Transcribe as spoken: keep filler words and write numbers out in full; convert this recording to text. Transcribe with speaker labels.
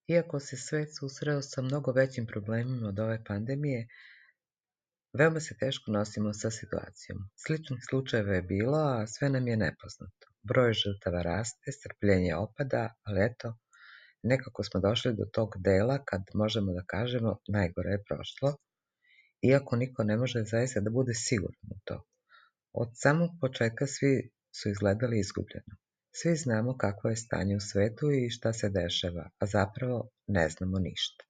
Speaker 1: Iako se svet susreo sa mnogo većim problemima od ove pandemije, veoma se teško nosimo sa situacijom. Sličnih slučajeva je bilo, a sve nam je nepoznato. Broj žrtava raste, strpljenje opada, ali eto, nekako smo došli do tog dela kad možemo da kažemo najgore je prošlo, iako niko ne može zaista da bude siguran u to. Od samog početka svi su izgledali izgubljeno. Svi znamo kakvo je stanje u svetu i šta se dešava, a zapravo ne znamo ništa.